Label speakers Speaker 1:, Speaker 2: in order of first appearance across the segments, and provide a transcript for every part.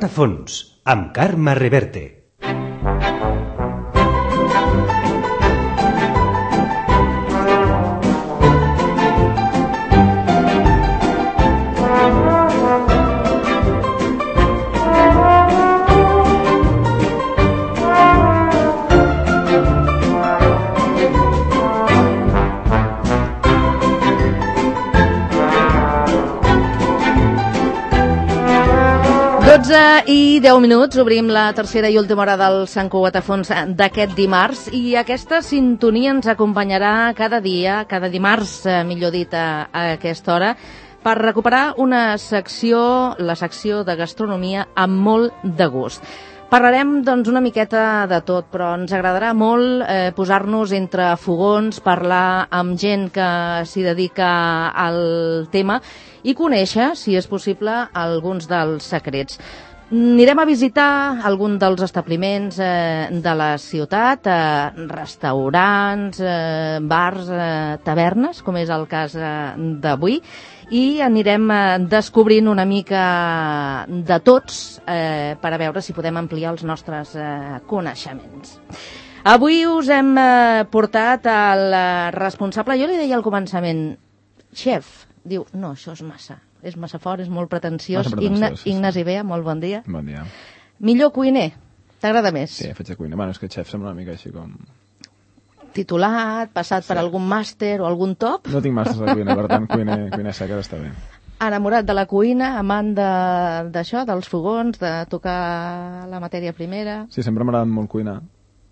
Speaker 1: Guatafons, amb Carme Reverte.
Speaker 2: I 10 minuts, obrim la tercera i última hora del Sant Guatafons d'aquest dimarts, i aquesta sintonia ens acompanyarà cada dia, cada dimarts, millor dit, a aquesta hora, per recuperar una secció, la secció de gastronomia amb molt de gust. Parlarem, doncs, una miqueta de tot, però ens agradarà molt posar-nos entre fogons, parlar amb gent que s'hi dedica al tema i conèixer, si és possible, alguns dels secrets. Anirem a visitar algun dels establiments de la ciutat, restaurants, bars, tavernes, com és el cas d'avui, i anirem descobrint una mica de tots per a veure si podem ampliar els nostres coneixements. Avui us hem portat al responsable, jo li deia al començament, xef, diu, no, això és massa fort, és molt pretensiós. Ignasi Bea, molt bon dia.
Speaker 3: Bon dia.
Speaker 2: Millor cuiner, t'agrada més?
Speaker 3: Sí, faig de cuiner. Bueno, és que xef sembla una mica així com...
Speaker 2: Titulat, passat per algun màster o algun top?
Speaker 3: No tinc màsters de cuina, per tant, cuiner seca està bé.
Speaker 2: Enamorat de la cuina, amant d'això, dels fogons, de tocar la matèria primera...
Speaker 3: Sí, sempre m'ha agradat molt cuinar.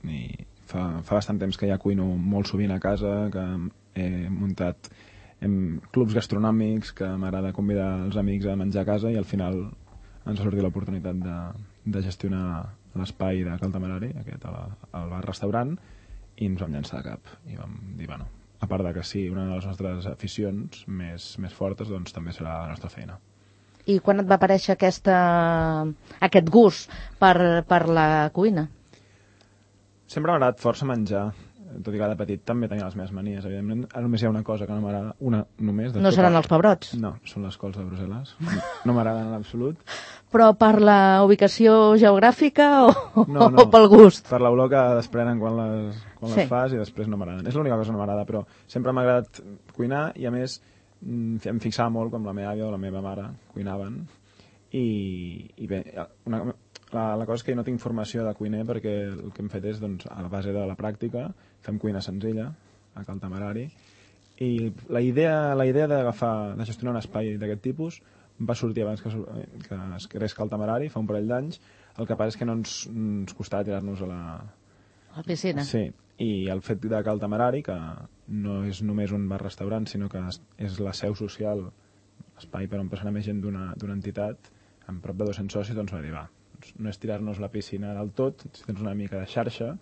Speaker 3: I fa bastant temps que ja cuino molt sovint a casa, que he muntat clubs gastronòmics, que m'agrada convidar els amics a menjar a casa, i al final ens ha sortit l'oportunitat de gestionar l'espai de Cal Temerari, aquest, al bar-restaurant, i ens vam llançar de cap. I vam dir, bueno, a part de que sí, una de les nostres aficions més fortes, doncs també serà la nostra feina.
Speaker 2: I quan et va aparèixer aquest gust per la cuina?
Speaker 3: Sempre m'ha agradat força menjar, tot i que de petit també tenia les meves manies, evidentment. Només hi ha una cosa que no m'agrada, una només.
Speaker 2: No seran els pebrots?
Speaker 3: No, són les cols de Brussel·les. No m'agraden en absolut.
Speaker 2: Però per la ubicació geogràfica o
Speaker 3: no,
Speaker 2: pel gust?
Speaker 3: Per l'olor que desprenen quan les fas, i després no m'agraden. És l'única cosa que no m'agrada, però sempre m'ha agradat cuinar, i a més em fixava molt com la meva àvia o la meva mare cuinaven. I bé, la cosa és que jo no tinc formació de cuiner, perquè el que hem fet és, doncs, a la base de la pràctica, fem cuina senzilla a Cal Temerari, i la idea de gestionar un espai d'aquest tipus va sortir abans que es creés Cal Temerari, fa un parell d'anys. El que passa és que no ens costava tirar-nos a
Speaker 2: la piscina.
Speaker 3: Sí, i el fet de Cal Temerari, que no és només un bar-restaurant, sinó que és la seu social, espai per on passarà més gent d'una entitat, amb prop de 200 socis, doncs va dir, no és tirar-nos la piscina del tot, si tens una mica de xarxa,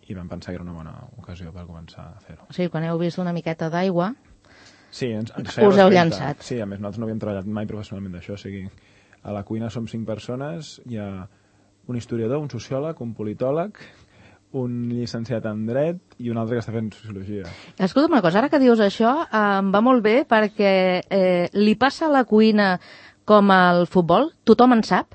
Speaker 3: i vam pensar que era una bona ocasió per començar a fer-ho.
Speaker 2: O sigui, quan heu vist una miqueta d'aigua,
Speaker 3: sí,
Speaker 2: us heu llançat.
Speaker 3: Sí, a més, nosaltres no havíem treballat mai professionalment d'això, o sigui, a la cuina som 5 persones, hi ha un historiador, un sociòleg, un politòleg, un llicenciat en dret i un altre que està fent sociologia.
Speaker 2: Escolta'm una cosa, ara que dius això, em va molt bé, perquè li passa a la cuina com al futbol? Tothom en sap?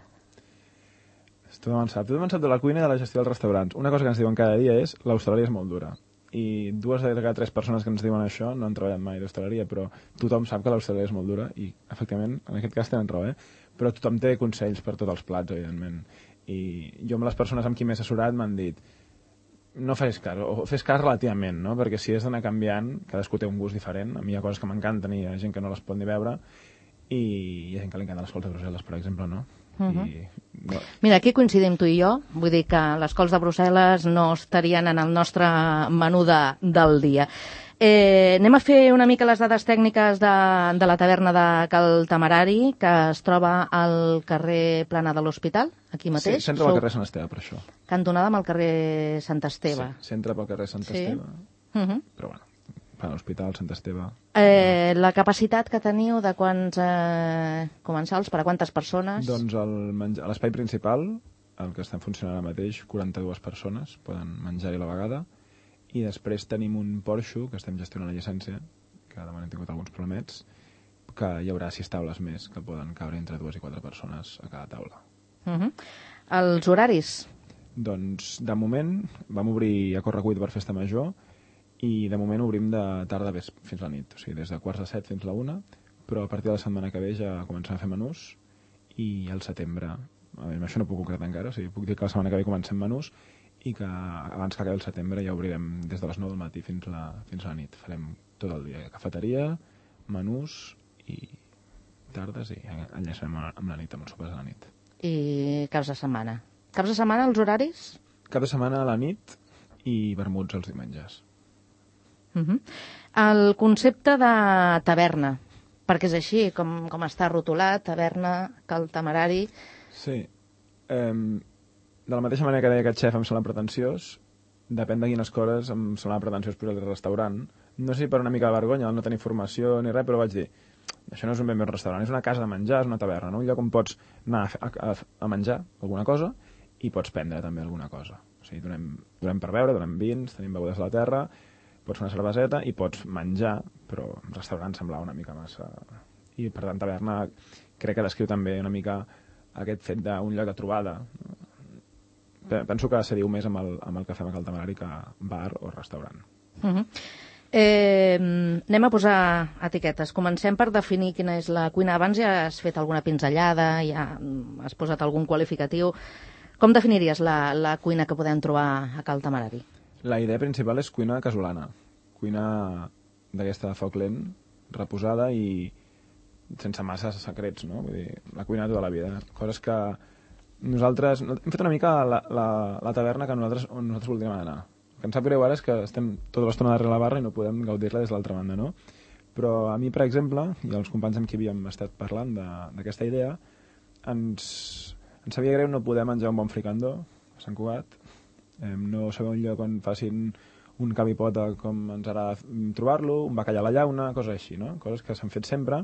Speaker 3: Tothom en sap de la cuina i de la gestió dels restaurants. Una cosa que ens diuen cada dia és l'hostaleria és molt dura. I 2 de cada 3 persones que ens diuen això no han treballat mai d'hostaleria, però tothom sap que l'hostaleria és molt dura, i efectivament, en aquest cas tenen raó, però tothom té consells per tots els plats, evidentment. I jo amb les persones amb qui m'he assessorat m'han dit, no fes cas, o fes cas relativament, no? Perquè si és d'anar canviant, cadascú té un gust diferent. A mi hi ha coses que m'encanten i hi ha gent que no les pot ni veure, i hi ha gent que li encanten les cols de Brussel·les, per exemple, no?
Speaker 2: Mira, aquí coincidim tu i jo, vull dir que les cols de Brussel·les no estarien en el nostre menú del dia. Anem a fer una mica les dades tècniques de la taverna de Cal Temerari, que es troba al carrer Plana de l'Hospital, aquí mateix.
Speaker 3: Sí, s'entra pel carrer Sant Esteve, per això.
Speaker 2: Cantonada amb el carrer Sant Esteve.
Speaker 3: Sí, s'entra pel carrer Sant Esteve, però bueno, a l'Hospital Sant Esteve.
Speaker 2: La capacitat que teniu de quants comensals, per a quantes persones?
Speaker 3: Doncs a l'espai principal, el que està funcionant ara mateix, 42 persones poden menjar-hi a la vegada, i després tenim un porxo, que estem gestionant la llicència, que de moment hem tingut alguns problemets, que hi haurà 6 taules més, que poden caure entre 2 i 4 persones a cada taula.
Speaker 2: Els horaris?
Speaker 3: Doncs, de moment, vam obrir a correcuita per festa major i de moment obrim de tarda fins la nit, o sigui, des de 6:45 fins la 1, però a partir de la setmana que ve ja comencem a fer menús i al setembre, això no puc concretar encara, o sigui, puc dir que la setmana que ve comencem menús i que abans que acabi el setembre ja obrirem des de les 9 del matí fins la nit. Farem tot el dia, cafeteria, menús i tardes i enllaçarem amb la nit, amb els sopars de la nit.
Speaker 2: I caps de setmana? Caps de setmana els horaris?
Speaker 3: Cap de setmana a la nit i vermuts els diumenges.
Speaker 2: El concepte de taverna, perquè és així, com està rotulat, taverna, Cal Temerari...
Speaker 3: Sí. De la mateixa manera que deia aquest xef em sembla pretensiós, depèn de quines coses em sembla pretensiós posar el restaurant. No sé si per una mica de vergonya, no tenir formació ni res, però vaig dir, això no és un ben bé un restaurant, és una casa de menjar, és una taverna, no? Un lloc on pots anar a menjar alguna cosa i pots prendre també alguna cosa. O sigui, donem per beure, donem vins, tenim begudes de la terra, pots fer una cerveseta i pots menjar, però un restaurant semblava una mica massa... I per tant, taverna crec que descriu també una mica aquest fet d'un lloc de trobada. Penso que se diu més amb el que fem a Cal Temerari que bar o restaurant.
Speaker 2: Anem a posar etiquetes. Comencem per definir quina és la cuina. Abans ja has fet alguna pinzellada, ja has posat algun qualificatiu. Com definiries la cuina que podem trobar a Cal Temerari?
Speaker 3: La idea principal és cuina casolana. Cuina d'aquesta de foc lent, reposada i sense massa secrets, no? Vull dir, la cuina de tota la vida. Coses que nosaltres... Hem fet una mica la taverna que nosaltres voldríem anar. El que em sap greu ara és que estem tota l'estona darrere la barra i no podem gaudir-la des de l'altra banda, no? Però a mi, per exemple, i els companys amb qui havíem estat parlant d'aquesta idea, ens sabia greu no poder menjar un bon fricandó a Sant Cugat, no saber un lloc on facin un cabipota com ens agrada trobar-lo, un bacallà a la llauna, coses així, no? Coses que s'han fet sempre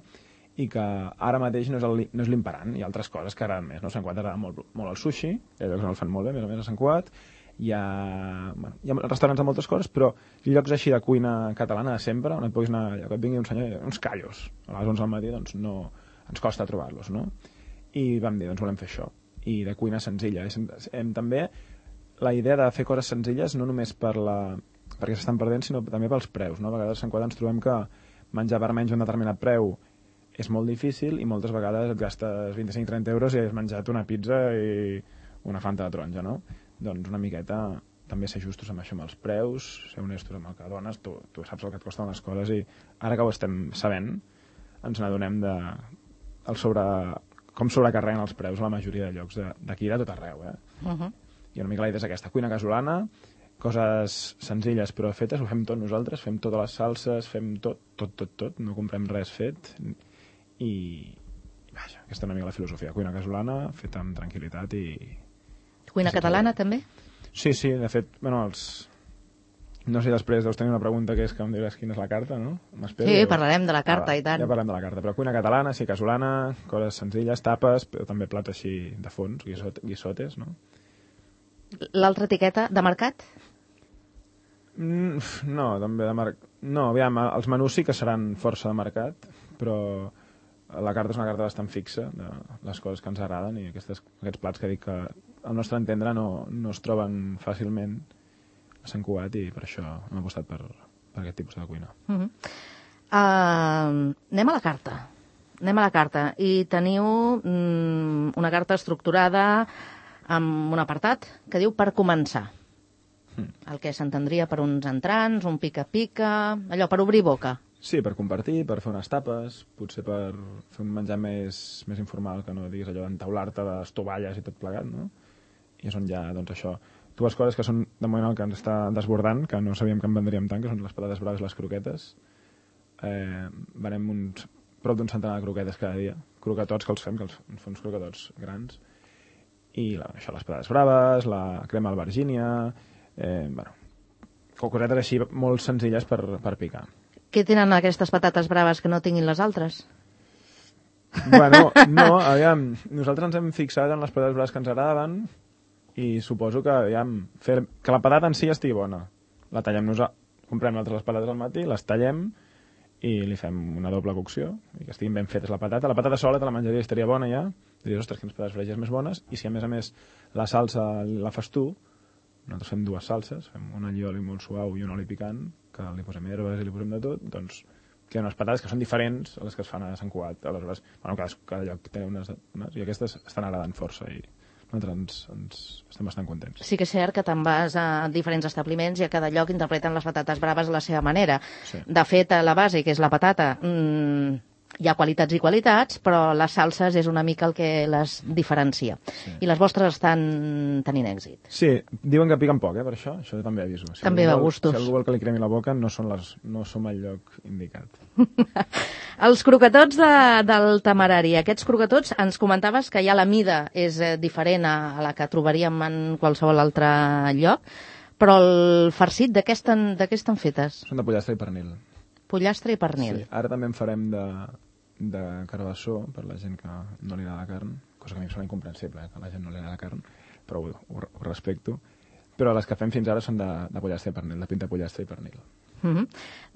Speaker 3: i que ara mateix no és l'imperant. Hi ha altres coses que agraden més, no? A Sant Cugat agrada molt el sushi, hi ha llocs on el fan molt bé, més o més a Sant Cugat, hi ha restaurants de moltes coses, però llocs així de cuina catalana de sempre, on et puguis anar, que et vingui un senyor, uns callos, a les 11 del matí, doncs no, ens costa trobar-los, no? I vam dir, doncs volem fer això, i de cuina senzilla. També la idea de fer coses senzilles no només perquè s'estan perdent, sinó també pels preus, no? A vegades a Sant Cugat ens trobem que menjar per menys un determinat preu és molt difícil i moltes vegades et gastes 25-30 euros i has menjat una pizza i una fanta de taronja, no? Doncs una miqueta també ser justos amb això, amb els preus, ser honestos amb el que dones, tu saps el que et costen les coses i ara que ho estem sabent ens n'adonem com sobrecarreguen els preus a la majoria de llocs d'aquí de tot arreu, I una mica la idea és aquesta, cuina casolana, coses senzilles però fetes, ho fem tot nosaltres, fem totes les salses, fem tot, no comprem res fet i vaja, aquesta és una mica la filosofia, cuina casolana, feta amb tranquil·litat i...
Speaker 2: Cuina catalana també?
Speaker 3: Sí, de fet, bueno, no sé, després deus tenir una pregunta que és que em diràs quina és la carta, no?
Speaker 2: Sí, parlarem de la carta, i tant.
Speaker 3: Ja parlem de la carta, però cuina catalana, sí, casolana, coses senzilles, tapes, però també plats així de fons, guisotes, no?
Speaker 2: L'altra etiqueta, de mercat?
Speaker 3: No, també de mercat. No, aviam, els menús sí que seran força de mercat, però la carta és una carta bastant fixa de les coses que ens agraden i aquests plats que dic que al nostre entendre no es troben fàcilment a Sant Cugat i per això hem apostat per aquest tipus de cuina.
Speaker 2: Anem a la carta. I teniu una carta estructurada amb un apartat que diu per començar. El que s'entendria per uns entrants, un pica-pica, allò per obrir boca.
Speaker 3: Sí, per compartir, per fer unes tapes, potser per fer un menjar més informal, que no diguis allò d'entaular-te de tovalles i tot plegat, no? I és on hi ha, doncs això, dues coses que són de moment el que ens està desbordant, que no sabíem que en vendríem tant, que són les patates braves i les croquetes. Venem prop d'un centenar de croquetes cada dia, croquetots que els fem, que ens fem uns croquetots grans, i això, les patates braves, la crema albergínia, cosetes així molt senzilles per picar.
Speaker 2: Què tenen aquestes patates braves que no tinguin les altres?
Speaker 3: Bueno, no, aviam, nosaltres ens hem fixat en les patates braves que ens agradaven i suposo que, aviam, que la patata en si estigui bona. La tallem comprem nosaltres les patates al matí, les tallem i li fem una doble cocció i que estiguin ben fetes la patata sola te la menjaria i estaria bona ja, diries, ostres, quines patates fregides més bones, i si a més la salsa la fas tu, nosaltres fem dues salses, fem un allioli molt suau i un oli picant, que li posem herbes i li posem de tot, doncs queden unes patates que són diferents a les que es fan a Sant Cugat. Aleshores, cada lloc té unes i aquestes estan agradant força i nosaltres ens estem bastant contents.
Speaker 2: Sí que és cert que te'n vas a diferents establiments i a cada lloc interpreten les patates braves a la seva manera. Sí. De fet, a la base, que és la patata, hi ha qualitats i qualitats, però les salses és una mica el que les diferencia. Sí. I les vostres estan tenint èxit.
Speaker 3: Sí, diuen que piquen poc, per això també aviso.
Speaker 2: També va a gustos.
Speaker 3: Si algú vol que li cremi la boca, no som el lloc indicat.
Speaker 2: Els croquetots del Temerari, aquests croquetots, ens comentaves que ja la mida és diferent a la que trobaríem en qualsevol altre lloc, però el farcit de què estan fetes?
Speaker 3: Són de pollastre i pernil.
Speaker 2: Pollastre i pernil.
Speaker 3: Sí, ara també en farem de carbassó per la gent que no li agrada la carn, cosa que a mi em sembla incomprensible, que a la gent no li agrada la carn, però ho respecto. Però les que fem fins ara són de pollastre i pernil, de pinta pollastre i pernil.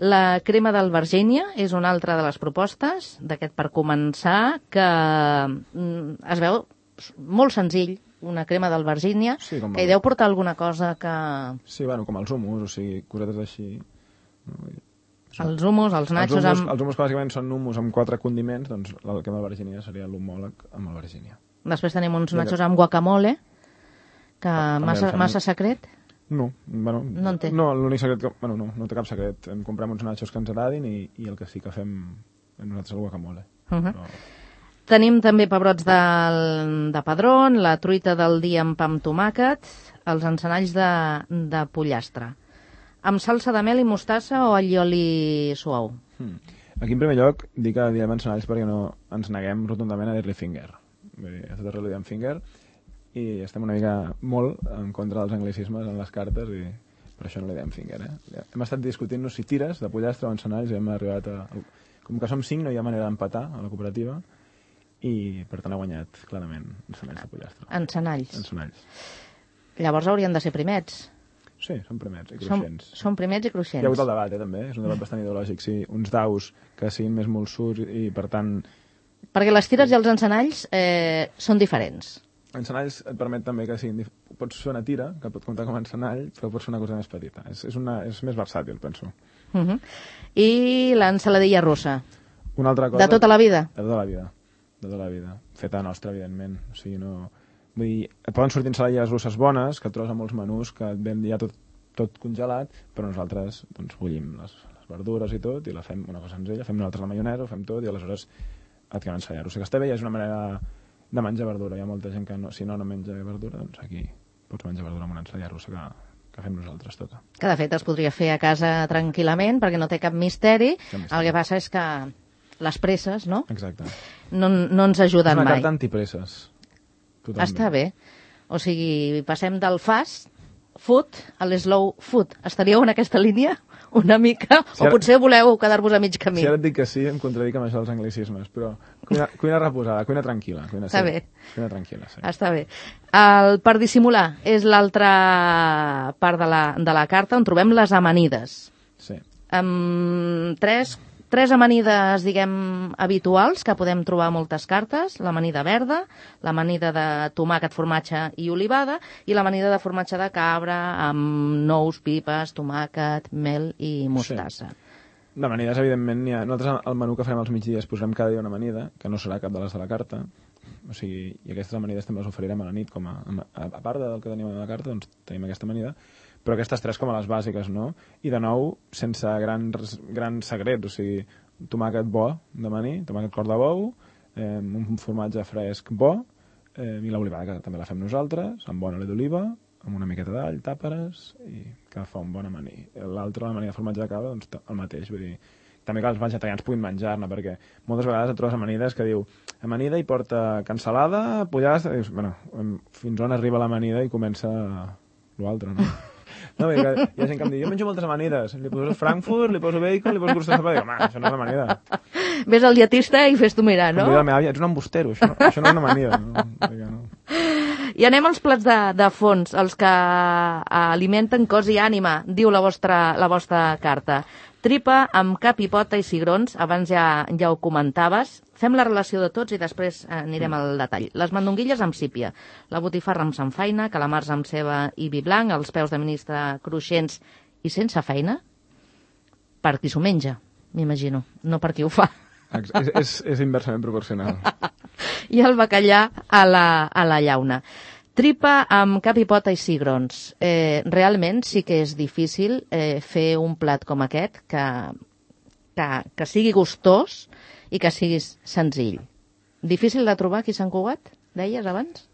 Speaker 2: La crema d'albergínia és una altra de les propostes d'aquest per començar, que es veu molt senzill, una crema d'albergínia, sí, que hi deu portar alguna cosa que...
Speaker 3: Sí, bueno, com els hummus, o sigui, cosetes així.
Speaker 2: Els hummus, els nachos...
Speaker 3: Els hummus que bàsicament són hummus amb 4 condiments, doncs la crema d'albergínia seria l'homòleg amb albergínia.
Speaker 2: Després tenim uns nachos amb guacamole, que massa secret?
Speaker 3: No, bueno,
Speaker 2: no en té.
Speaker 3: No, l'únic secret que... Bueno, no té cap secret. Comprem uns nachos que ens agradin i el que sí que fem nosaltres el guacamole. Però...
Speaker 2: Tenim també pebrots de padrón, la truita del dia amb pa amb tomàquet, els encenalls de pollastre. Amb salsa de mel i mostassa o allioli suau?
Speaker 3: Aquí, en primer lloc, dic que diem encenalls perquè no ens neguem rotundament a dir-li finger. Vull dir, a tot arreu li diem finger i estem una mica molt en contra dels anglicismes en les cartes i per això no li diem finger. Hem estat discutint-nos si tires de pollastre o encenalls i hem arribat a... Com que som 5 no hi ha manera d'empatar a la cooperativa i per tant ha guanyat clarament encenalls de pollastre.
Speaker 2: Encenalls. Llavors haurien de ser primets.
Speaker 3: Sí, són primets i cruixents.
Speaker 2: Són primets i cruixents.
Speaker 3: Hi ha hagut el debat, també. És un debat bastant ideològic. Sí, uns daus que siguin més molsuts i, per tant...
Speaker 2: Perquè les tires i els encenalls són diferents.
Speaker 3: Encenalls et permet també que siguin... Pots fer una tira, que pot comptar com a encenall, però pot ser una cosa més petita. És més versàtil, penso.
Speaker 2: I l'ensaladilla russa?
Speaker 3: Una altra cosa...
Speaker 2: De tota la vida?
Speaker 3: De tota la vida. Feta nostra, evidentment. O sigui, no... Vull dir, et poden sortir ensaladilles russes bones, que et trobes a molts menús, que et ven ja tot congelat, però nosaltres doncs, bullim les verdures i tot, i la fem una cosa senzilla, fem nosaltres la maionesa, ho fem tot, i aleshores et queda ensaladilla russa, que està bé, i és una manera de menjar verdura. Hi ha molta gent que si no menja verdura, doncs aquí pots menjar verdura amb una ensaladilla russa que fem nosaltres tota.
Speaker 2: Que de fet es podria fer a casa tranquil·lament, perquè no té cap misteri. El que passa és que les presses, no?
Speaker 3: Exacte.
Speaker 2: No ens ajuden mai.
Speaker 3: És una carta antipresses. Totalment.
Speaker 2: Està bé. O sigui, passem del fast food a l'slow food. Estaríeu en aquesta línia una mica? O potser voleu quedar-vos a mig camí?
Speaker 3: Si ara et dic que sí, em contradic amb això dels anglicismes, però cuina reposada, cuina tranquil·la.
Speaker 2: Està bé.
Speaker 3: Cuina tranquil·la, sí.
Speaker 2: Està bé. Per dissimular és l'altra part de la carta on trobem les amanides.
Speaker 3: Sí.
Speaker 2: Tres amanides, diguem, habituals que podem trobar a moltes cartes. L'amanida verda, l'amanida de tomàquet, formatge i olivada i l'amanida de formatge de cabra amb nous, pipes, tomàquet, mel i mostassa.
Speaker 3: Sí. D'amanides, evidentment, n'hi ha. Nosaltres al menú que farem als migdies posarem cada dia una amanida, que no serà cap de les de la carta. O sigui, i aquestes amanides també les oferirem a la nit, com a part del que tenim a la carta, doncs tenim aquesta amanida. Però aquestes tres com a les bàsiques, no? I de nou, sense grans secrets, o sigui, tomàquet bo d'amanir, tomàquet cor de bou, un formatge fresc bo, i l'olivada, que també la fem nosaltres, amb bon oli d'oliva, amb una miqueta d'all, tàperes, i que fa un bon amanir. L'altre, l'amanir de formatge de cabra, doncs el mateix, vull dir, també que els vegetarians puguin menjar-ne, perquè moltes vegades et trobes amanides que diu amanida i porta cansalada, pollastre, i dius, bueno, fins on arriba l'amanida i comença l'altre, no? No, hi ha gent que em diu, jo menjo moltes amanides, li poso Frankfurt, li poso bacon, li poso crustes de pa, dic, home, això no és amanida.
Speaker 2: Ves al dietista i fes-t'ho mirar, no?
Speaker 3: Em diu la meva àvia, ets un embustero, això no és una amanida. No.
Speaker 2: I anem als plats de fons, els que alimenten cos i ànima, diu la vostra carta. Tripa amb cap i pota i cigrons, abans ja ho comentaves. Fem la relació de tots i després anirem al detall. Les mandonguilles amb sípia, la botifarra amb samfaina, calamars amb ceba i vi blanc, els peus de ministre cruixents i sense feina, per qui s'ho menja, m'imagino, no per qui ho fa.
Speaker 3: És inversament proporcional.
Speaker 2: I el bacallà a la llauna. Tripa amb cap i pota i cigrons. Realment sí que és difícil fer un plat com aquest que sigui gustós i que sigui senzill. Difícil de trobar aquí a Sant Cugat, deies abans?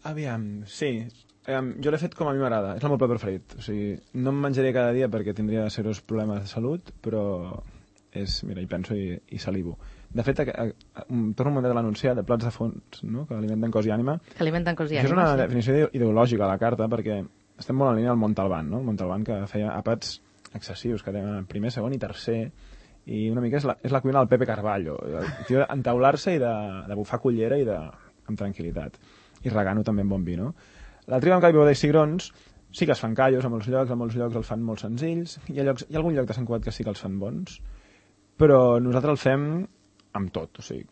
Speaker 3: Aviam, sí. Jo l'he fet com a mi m'agrada. És el meu plat preferit. O sigui, no em menjaré cada dia perquè tindria serios problemes de salut, però mira, hi penso i salivo. De fet, torno a un moment de l'anunciat de plats de fons, no? Que alimenten cos i ànima.
Speaker 2: Que alimenten cos i ànima,
Speaker 3: això és una definició ideològica a la carta, perquè estem molt en línia del Montalbán, no? El Montalbán que feia àpats excessius, que tenen primer, segon i tercer, i una mica és la cuina del Pepe Carballo. El tio d'entaular-se i de bufar cullera i amb tranquil·litat. I regant-ho també amb bon vi, no? La tripa amb cap i pota i cigrons sí que es fan callos a molts llocs els fan molt senzills, hi ha algun lloc de Sant Cugat que sí que els fan bons, però nosaltres el fem amb tot, o sigui,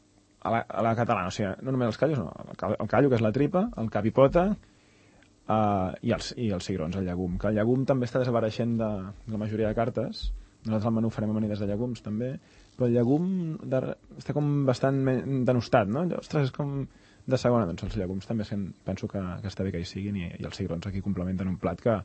Speaker 3: a la catalana, o sigui, no només els callos, no, el callo, que és la tripa, el cap i pota, i els cigrons, el llegum, que el llegum també està desapareixent de la majoria de cartes. Nosaltres al menú farem amanides de llegums també, però el llegum està com bastant denostat, no? Ostres, és com de segona, doncs els llegums també penso que està bé que hi siguin, i els cigrons aquí complementen un plat que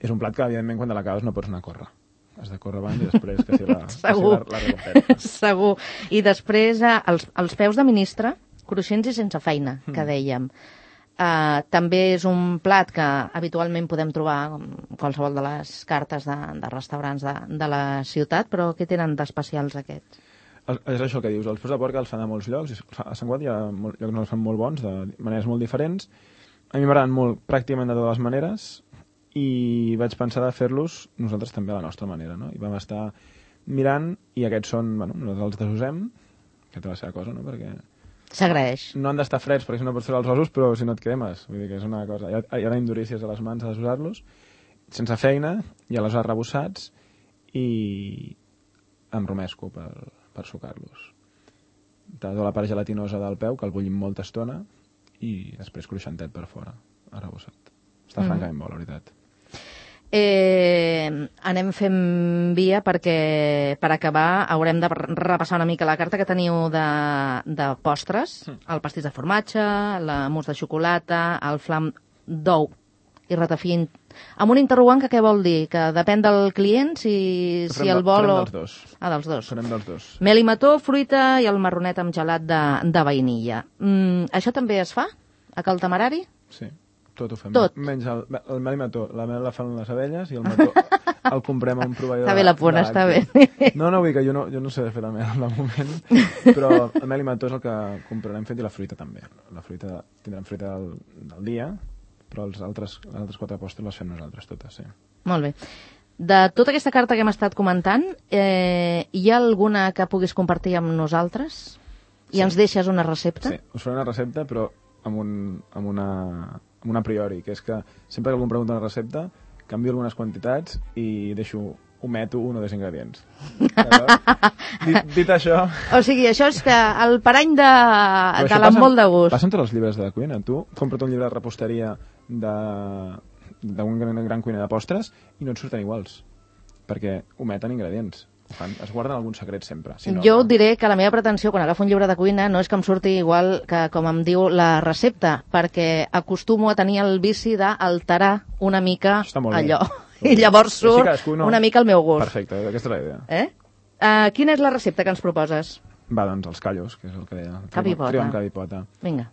Speaker 3: és un plat que evidentment quan te l'acabes no pots anar a córrer. Has de córrer abans i després que sigui la recompensa.
Speaker 2: Segur. I després els peus de ministre, cruixents i sense feina, que dèiem. També és un plat que habitualment podem trobar en qualsevol de les cartes de restaurants de la ciutat, però què tenen d'especials aquests?
Speaker 3: És això que dius, els peus de porc els fan a molts llocs, a Sant Cugat hi ha llocs que els fan molt bons, de maneres molt diferents. A mi m'agraden molt pràcticament de totes les maneres, i vaig pensar de fer-los nosaltres també a la nostra manera, no? I vam estar mirant, i aquests són, bueno, nosaltres els desusem, que té la seva cosa, no? Perquè
Speaker 2: s'agraeix.
Speaker 3: No han d'estar freds perquè si no pots fer els ossos, però si no et cremes, vull dir que és una cosa. Hi ha indurícies a les mans a desusar-los, sense feina, i aleshores rebossats, i amb romesco per sucar-los. Tota la part gelatinosa del peu, que el bullim molta estona, i després cruixentet per fora, arrebossat. Està francament bo, la veritat.
Speaker 2: Anem fent via perquè per acabar haurem de repassar una mica la carta que teniu de postres, el pastís de formatge, la mousse de xocolata, el flam d'ou i ratafí, amb un interrogant que què vol dir? Que depèn del client si el vol o...
Speaker 3: Farem dels dos.
Speaker 2: Dels dos.
Speaker 3: Farem dels dos.
Speaker 2: Mel i mató, fruita i el marronet amb gelat de vainilla. Això també es fa a Cal Temerari?
Speaker 3: Sí. Tot ho fem.
Speaker 2: Tot.
Speaker 3: Menys el mel i mató. La mel la fan les abelles i el mató el comprem a un proveïdor.
Speaker 2: Està bé la puna, està bé.
Speaker 3: No, vull dir que jo no sé fer la mel al moment, però el mel i mató és el que comprarem fet i la fruita també. La fruita, tindrem fruita del dia, però les altres 4 postres les fem nosaltres totes, sí.
Speaker 2: Molt bé. De tota aquesta carta que hem estat comentant, hi ha alguna que puguis compartir amb nosaltres? I ens deixes una recepta?
Speaker 3: Sí, us faré una recepta, però amb una a priori, que és que sempre que algú em pregunta una recepta, canvio algunes quantitats i ometo un o 2 ingredients. Dit això...
Speaker 2: O sigui, això és que el parany de l'embol de gust.
Speaker 3: Passa amb tots els llibres de cuina. Tu compra't un llibre de reposteria d'un gran cuiner de postres i no et surten iguals, perquè ometen ingredients. Es guarden algun secret sempre. Si no,
Speaker 2: jo et diré que la meva pretensió quan agafo un llibre de cuina no és que em surti igual que com em diu la recepta, perquè acostumo a tenir el vici d'alterar una mica allò. I llavors surt una mica el meu gust.
Speaker 3: Perfecte, aquesta és la idea.
Speaker 2: Quina és la recepta que ens proposes?
Speaker 3: Va, doncs els callos, que és el que deia.
Speaker 2: Cap i pota.
Speaker 3: Tripa amb cap i pota.
Speaker 2: Vinga.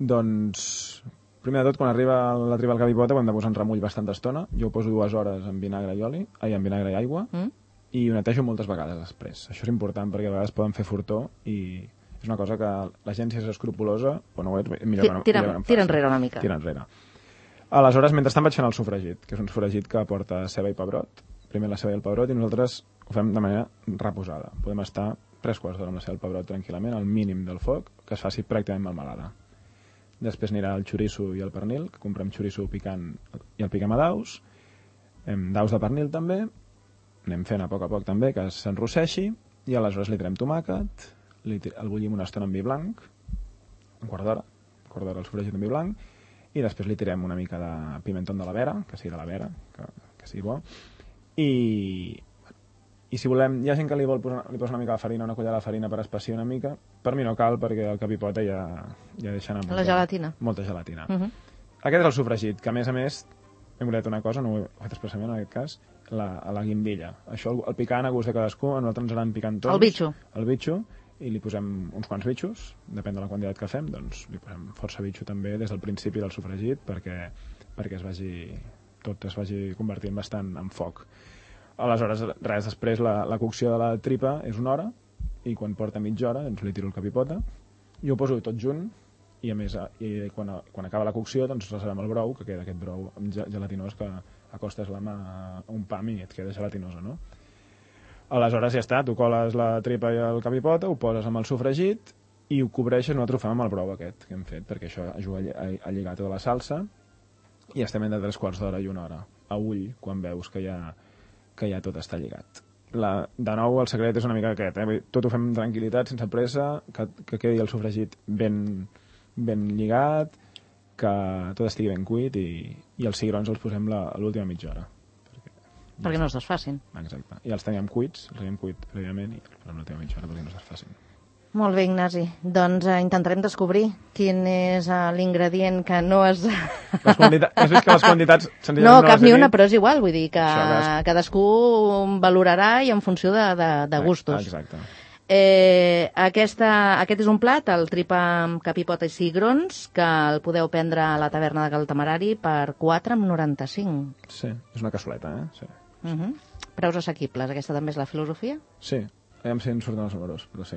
Speaker 3: Doncs, primer de tot, quan arriba la tripa al cap i pota, ho hem de posar en remull bastanta estona. Jo ho poso 2 hores en vinagre i aigua, i ho netejo moltes vegades després. Això és important perquè a vegades poden fer fortó i és una cosa que la gent, si és escrupulosa, o no ho és, millor que no em faci.
Speaker 2: Tira enrere una mica.
Speaker 3: Tira enrere. Aleshores, mentrestant vaig fent el sofregit, que és un sofregit que porta ceba i pebrot. Primer la ceba i el pebrot, i nosaltres ho fem de manera reposada. Podem estar 3 quarts d'hora amb la ceba i el pebrot tranquil·lament, al mínim del foc, que es faci pràcticament melmelada. Després anirà el xoriço i el pernil, que comprem xoriço picant i el piquem a daus de pernil també, anem fent a poc també que s'enrosseixi, i aleshores li tirem tomàquet, el bullim una estona amb vi blanc, un quart d'hora el sofregit amb vi blanc, i després li tirem una mica de pimentó de la vera, que sigui de la vera, que sigui bo, i si volem, hi ha gent que li posa una mica de farina, una cullerada de farina per espessiar una mica. Per mi no cal, perquè el capipota ja deixa anar
Speaker 2: la gelatina.
Speaker 3: Molta gelatina. Aquest és el sofregit, que a més hem oblidat una cosa, no ho he fet expressament en aquest cas, la guindilla. Això, el picant a gust de cadascú, a nosaltres ens agraden picantons. El bitxo, i li posem uns quants bitxos, depèn de la quantitat que fem, doncs li posem força bitxo també des del principi del sofregit, perquè tot es vagi convertint bastant en foc. Aleshores, res, després la cocció de la tripa és 1 hora, i quan porta mitja hora doncs li tiro el capipota, i ho poso tot junt, i a més, quan acaba la cocció, doncs reservem el brou, que queda aquest brou gelatinós que acostes la mà a un pam i et queda gelatinosa, no? Aleshores ja està, tu coles la tripa i el capipota, ho poses amb el sofregit i ho cobreixes, nosaltres ho fem amb el brou aquest que hem fet, perquè això ajuda a lligar tota la salsa, i estem entre 3/4 d'hora i 1 hora, a ull, quan veus que ja tot està lligat. De nou, el secret és una mica aquest, tot ho fem amb tranquil·litat, sense pressa, que quedi el sofregit ben lligat, que tot estigui ben cuit, i els cigrons els posem a l'última mitja hora.
Speaker 2: Perquè no es desfacin.
Speaker 3: Exacte. I els teníem cuits, prèviament, i els posem a l'última mitja hora perquè no es desfacin.
Speaker 2: Molt bé, Ignasi. Doncs intentarem descobrir quin és l'ingredient que no es...
Speaker 3: Has vist que les quantitats...
Speaker 2: No, cap ni una, però és igual. Vull dir que cadascú valorarà i en funció de gustos.
Speaker 3: Exacte.
Speaker 2: Aquest és un plat, el tripa amb capipota i cigrons, que el podeu prendre a la taverna de Cal Temerari per 4,95.
Speaker 3: Sí, és una cassoleta, Sí.
Speaker 2: Preus assequibles, aquesta també és la filosofia?
Speaker 3: Sí. Aviam si ens surten els números, però sí.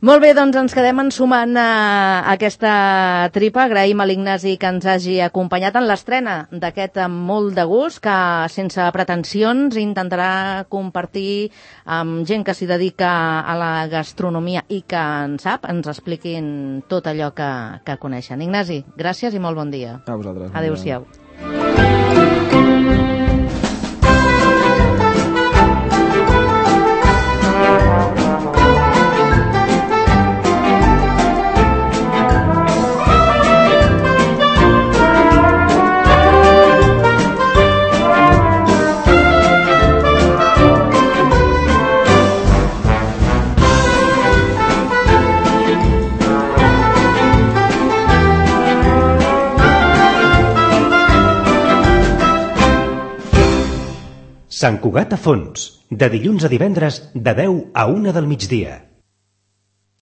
Speaker 2: Molt bé, doncs ens quedem ensumant aquesta tripa. Agraïm a l'Ignasi que ens hagi acompanyat en l'estrena d'aquest molt de gust, que sense pretensions intentarà compartir amb gent que s'hi dedica a la gastronomia i que en sap, ens expliquin tot allò que coneixen. Ignasi, gràcies i molt bon dia.
Speaker 3: A vosaltres.
Speaker 2: Adéu-siau.
Speaker 1: Sant Cugat a Fons, de dilluns a divendres de 10 a 1 del migdia.